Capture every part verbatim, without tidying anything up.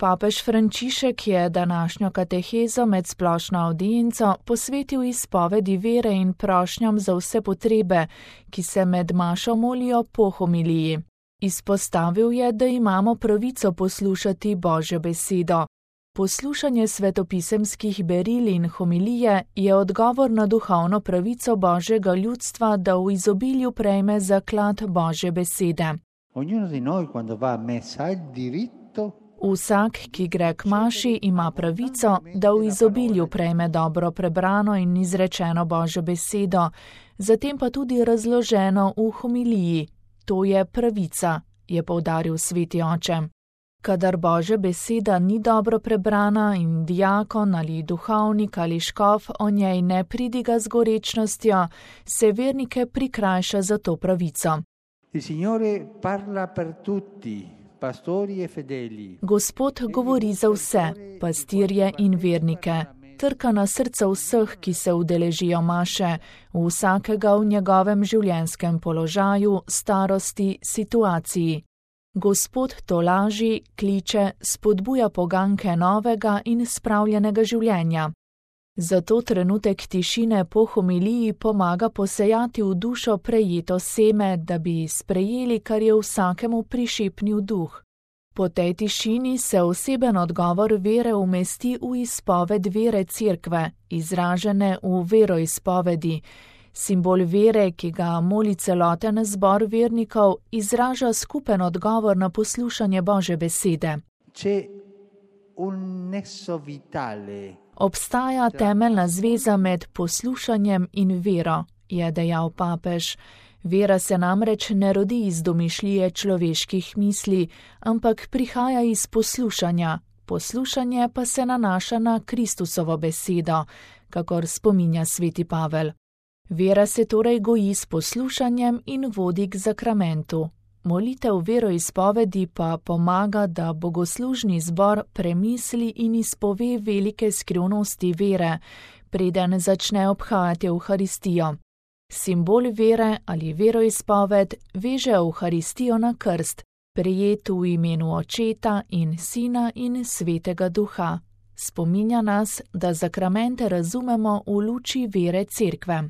Papež Frančišek je današnjo katehezo med splošno avdienco posvetil izpovedi vere in prošnjam za vse potrebe, ki se med mašo molijo po homiliji. Izpostavil je, da imamo pravico poslušati Božjo besedo. Poslušanje svetopisemskih beril in homilije je odgovor na duhovno pravico Božjega ljudstva, da v izobilju prejme zaklad Božje besede. Vsak, ki gre k maši, ima pravico, da v izobilju prejme dobro prebrano in izrečeno Božjo besedo, zatem pa tudi razloženo v homiliji. To je pravica, je poudaril sveti oče. Kadar Božja beseda ni dobro prebrana in diakon ali duhovnik ali škof o njej ne pridiga z gorečnostjo, se vernike prikrajša za to pravico. Gospod govori za vse, pastirje in vernike. Trka na srca vseh, ki se udeležijo maše, vsakega v njegovem življenjskem položaju, starosti, situaciji. Gospod tolaži, kliče, spodbuja poganke novega in spravljenega življenja. Zato trenutek tišine po homiliji pomaga posejati v dušo prejeto seme, da bi sprejeli, kar je vsakemu prišepnil duh. Po tej tišini se oseben odgovor vere umesti v izpoved vere Cerkve, izražene v veroizpovedi. Simbol vere, ki ga moli celoten zbor vernikov, izraža skupen odgovor na poslušanje Božje besede. Obstaja temeljna zveza med poslušanjem in vero, je dejal papež. Vera se namreč ne rodi iz domišljije človeških misli, ampak prihaja iz poslušanja. Poslušanje pa se nanaša na Kristusovo besedo, kakor spominja sveti Pavel. Vera se torej goji s poslušanjem in vodi k zakramentu. Molitev veroizpovedi pa pomaga, da bogoslužni zbor premisli in izpove velike skrivnosti vere, preden začne obhajati Evharistijo. Simbol vere ali veroizpoved veže Evharistijo na krst, prejet v imenu Očeta in Sina in Svetega Duha. Spominja nas, da zakramente razumemo v luči vere Cerkve.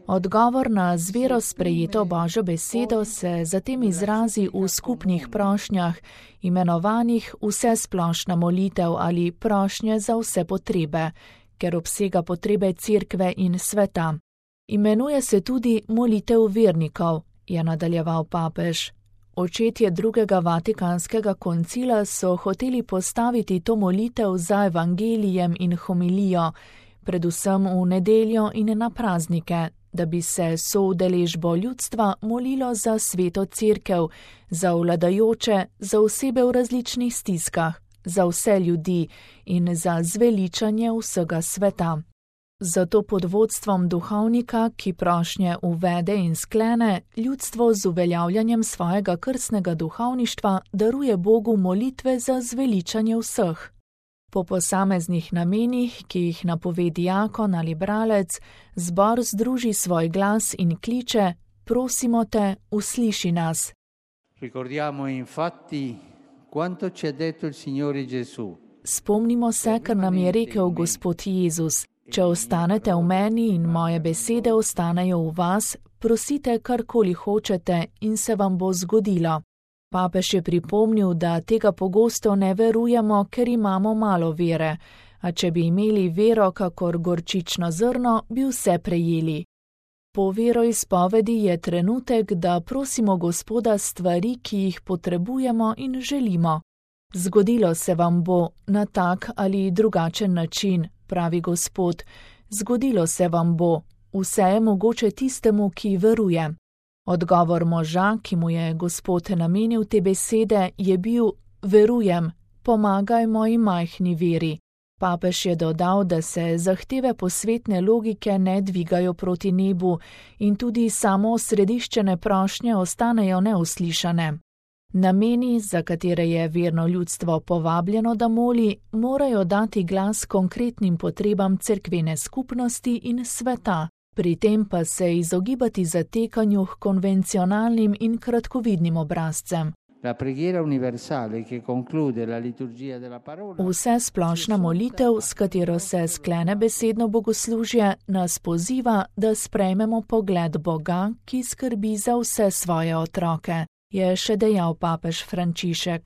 Odgovor na z vero sprejeto Božjo besedo se zatem izrazi v skupnih prošnjah, imenovanih vsesplošna molitev ali prošnje za vse potrebe, ker obsega potrebe Cerkve in sveta. Imenuje se tudi molitev vernikov, je nadaljeval papež. Očetje drugega Vatikanskega koncila so hoteli postaviti to molitev za evangelijem in homilijo, predvsem v nedeljo in na praznike, da bi se soudeležbo ljudstva molilo za sveto Cerkev, za vladajoče, za osebe v različnih stiskah, za vse ljudi in za zveličanje vsega sveta. Zato pod vodstvom duhovnika, ki prošnje uvede in sklene, ljudstvo z uveljavljanjem svojega krstnega duhovništva daruje Bogu molitve za zveličanje vseh. Po posameznih namenih, ki jih napove diakon ali bralec, zbor združi svoj glas in kliče: prosimo te, usliši nas. Ricordiamo infatti quanto ci ha detto il Signore Gesù. Spomnimo se, kar nam je rekel Gospod Jezus. Če ostanete v meni in moje besede ostanejo v vas, prosite karkoli hočete in se vam bo zgodilo. Papež je pripomnil, da tega pogosto ne verujemo, ker imamo malo vere, a če bi imeli vero kakor gorčično zrno, bi vse prejeli. Po veroizpovedi je trenutek, da prosimo Gospoda stvari, ki jih potrebujemo in želimo. Zgodilo se vam bo na tak ali drugačen način, pravi Gospod, zgodilo se vam bo, vse je mogoče tistemu, ki veruje. Odgovor moža, ki mu je Gospod namenil te besede, je bil: verujem, pomagaj moji majhni veri. Papež je dodal, da se zahteve posvetne logike ne dvigajo proti nebu in tudi samo osrediščene prošnje ostanejo neuslišane. Nameni, za katere je verno ljudstvo povabljeno, da moli, morajo dati glas konkretnim potrebam cerkvene skupnosti in sveta, pri tem pa se izogibati zatekanju k konvencionalnim in kratkovidnim obrazcem. La preghiera universale che conclude la liturgia della parola. Vse splošna molitev, s katero se sklene besedno bogoslužje, nas poziva, da sprejmemo pogled Boga, ki skrbi za vse svoje otroke, je še dejal papež Frančišek.